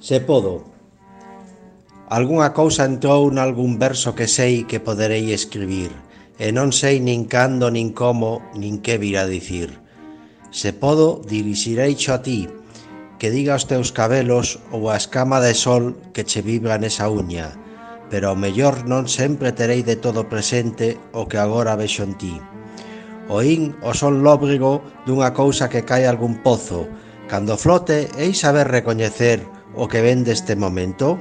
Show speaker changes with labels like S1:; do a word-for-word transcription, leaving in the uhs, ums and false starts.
S1: Se podo. Algunha cousa entrou nalgún verso que sei que poderei escribir, e non sei nin cando, nin como, nin que virá dicir. Se podo, dirixireicho a ti, que diga os teus cabelos ou a escama de sol que che vibra nesa uña, pero ao mellor non sempre terei de todo presente o que agora vexo en ti. Oín o son lóbrego dunha cousa que cae algún pozo. Cando flote, hei saber recoñecer o que ven deste momento?